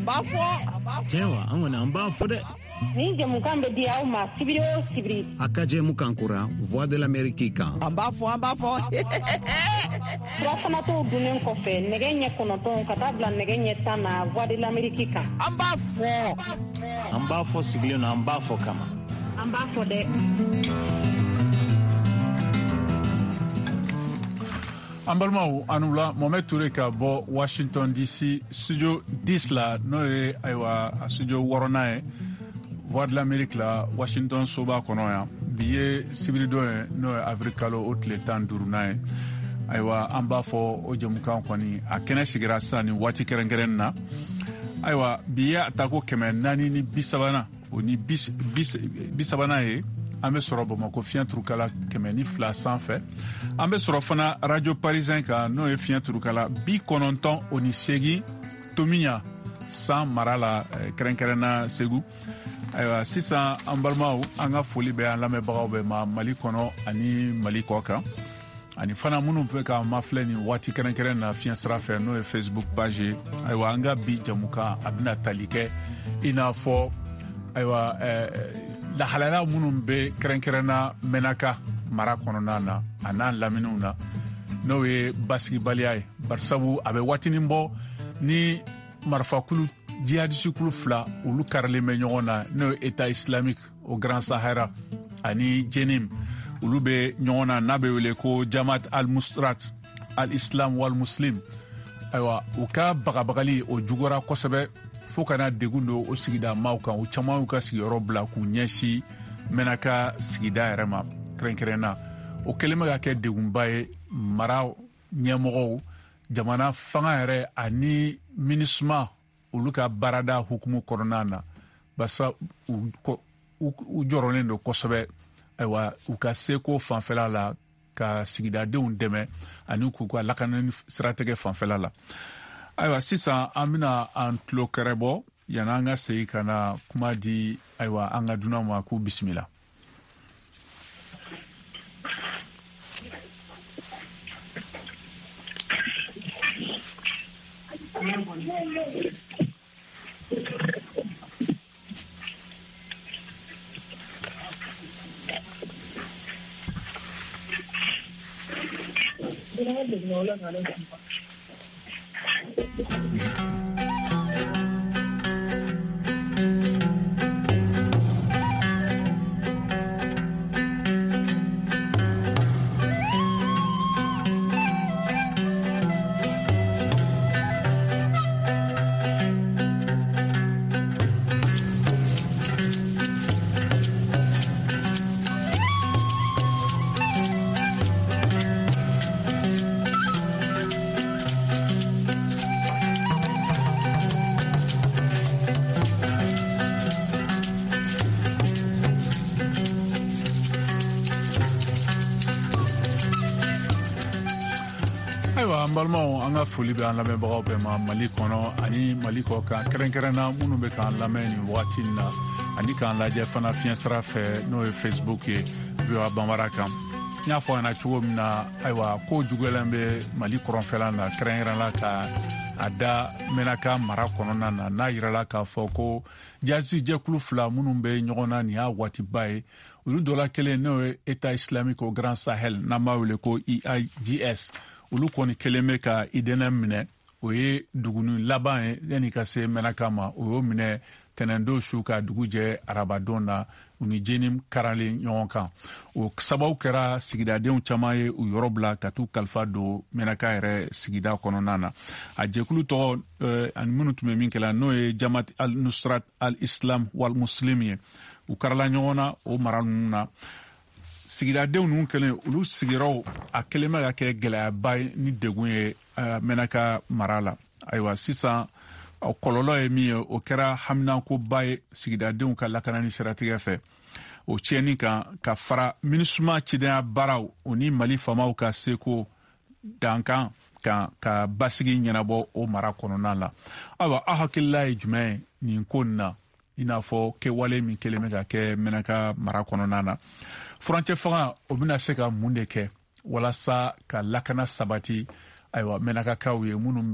An b'a fɔ. Cɛwa, an kɔni an b'a fɔ dɛ. Nin jɛmukan bɛ di aw ma sibiri o sibiri. A ka jɛmukan kura Voix de l'Amérique kan. An b'a fɔ, an b'a fɔ. Surafanatɔw dunnen kɔfɛ nɛgɛ ɲɛ 9 ka taa bila nɛgɛ ɲɛ 10 na Voix de l'Amérique kan. An b'a fɔ. An b'a fɔ sigilen na, an b'a fɔ kama. An b'a fɔ dɛ. An balimaw, aw ni wula. Mohamed Toure ka bɔ Washington DC, studio 10 la, n'o ye ayiwa studio wɔɔrɔnan ye Voix de l'Amérique la, Washington soba kɔnɔ yan. Bi ye sibiridon ye, n'o ye avril kalo o tile 15nan ye. Ayiwa, an b'a fɔ o jɛmukan kɔni a kɛnɛ sigira sisan nin waati kɛrɛnkɛrɛn na. Ayiwa, bi ye a tako 430nan o ni 30nan ye. An bɛ sɔrɔ Bamakɔ fiɲɛ turukala 102 sanfɛ. An bɛ sɔrɔ fana Radio Parisien kan, n'o ye fiɲɛ turukala 98 tomiɲa san mara la, kɛrɛnkɛrɛnna Segu. Ayiwa, sisan an balimaw, an ka foli bɛ an lamɛnbagaw bɛɛ ma Mali kɔnɔ ani Mali kɔ kan, ani fana minnu bɛ k'an mafilɛ nin waati kɛrɛnkɛrɛn na fiɲɛ sira fɛ, n'o ye Facebook page ye. Ayiwa, an ka bi jamukan a bɛna tali kɛ i n'a fɔ ayiwa lahalaya minnu bɛ kɛrɛnkɛrɛnna Mɛnaka mara kɔnɔna na a n'a laminiw na, n'o ye basigibaliya ye, barisabu a bɛ waatinin bɔ ni marifakulu jihadisikulu fila olu karilen bɛ ɲɔgɔn na, n'o ye État islamique au Grand Sahara ani Jenim. Olu bɛ ɲɔgɔn na, n'a bɛ wele ko Jamaat al-Nusrat al-Islam wal Muslim. Ayiwa, u ka bagabagali o juguyara kosɛbɛ fo ka na degun don o sigida maaw kan. U caman y'u ka sigiyɔrɔ bila k'u ɲɛsin Mɛnaka sigida yɛrɛ ma kɛrɛnkɛrɛnna. O kɛlen bɛ ka kɛ degunba ye mara ɲɛmɔgɔw, jamana fanga yɛrɛ ani MINUSMA olu ka baarada hukumu kɔnɔna na, barisa u jɔrɔlen don kosɛbɛ ayiwa u ka seko fanfɛla la ka sigidadenw dɛmɛ ani k'u ka lakanani siratigɛ fanfɛla la. Ayiwa, sisan an bɛna an tulo kɛrɛ bɔ yanni an ka segin ka na kuma di ayiwa an ka dunan ma k'u bisimila. Ayiwa, an balimaw, an ka foli bɛ an lamɛnbagaw bɛɛ ma Mali kɔnɔ ani Mali kɔ kan, kɛrɛnkɛrɛnna minnu bɛ k'an lamɛn nin wagati in na ani k'an lajɛ fana fiɲɛ sira fɛ, n'o ye Facebook ye, VOA Bambara kan. N y'a fɔ a ɲɛna cogo min na, ayiwa, ko juguyalen bɛ Mali kɔrɔnfɛla la, kɛrɛnkɛrɛnna ka a da Mɛnaka mara kɔnɔna na, n'a yirala k'a fɔ ko jihadisi jɛkulu fila minnu bɛ ɲɔgɔn na nin y'a waatiba ye, olu dɔ la kelen, n'o ye État islamique au Grand Sahel, n'an b'a wele ko EIGS, olu kɔni kelen bɛ ka Idɛnɛ minɛ. O ye duguni laban ye yanni ka se Mɛnaka ma. O y'o minɛ tɛnɛndon su ka dugu jɛ arabadon na, u ni Jenim karalen ɲɔgɔn kan. O sababu kɛra sigidadenw caman ye u yɔrɔ bila ka t'u kalifa don Mɛnaka yɛrɛ sigida kɔnɔna na. A jɛkulu tɔgɔ ani minnu tun bɛ min kɛla, n'o ye Jamaat al-Nusrat al-Islam wal Muslim ye, u karala ɲɔgɔn na o mara ninnu na. Sigidadenw ninnu kɛlen, olu sigiyɔrɔw a kɛlen bɛ ka kɛ gɛlɛyaba ye ni degun ye Mɛnaka mara la. Ayiwa, sisan o kɔlɔlɔ ye min ye, o kɛra haminankoba ye sigidadenw ka lakanani siratigɛ fɛ. O tiɲɛni kan ka fara MINUSMA cidenya baaraw o ni Mali faamaw ka seko dankan kan ka basigi ɲɛnabɔ o mara kɔnɔna la. Ayiwa, aw hakilila ye jumɛn ye nin ko nin na, i n'a fɔ kɛwale min kɛlen bɛ ka kɛ Mɛnaka mara kɔnɔna na? Furancɛ fanga o bɛna se ka mun de kɛ walasa ka lakana sabati ayiwa Mɛnakakaw ye minnu bɛ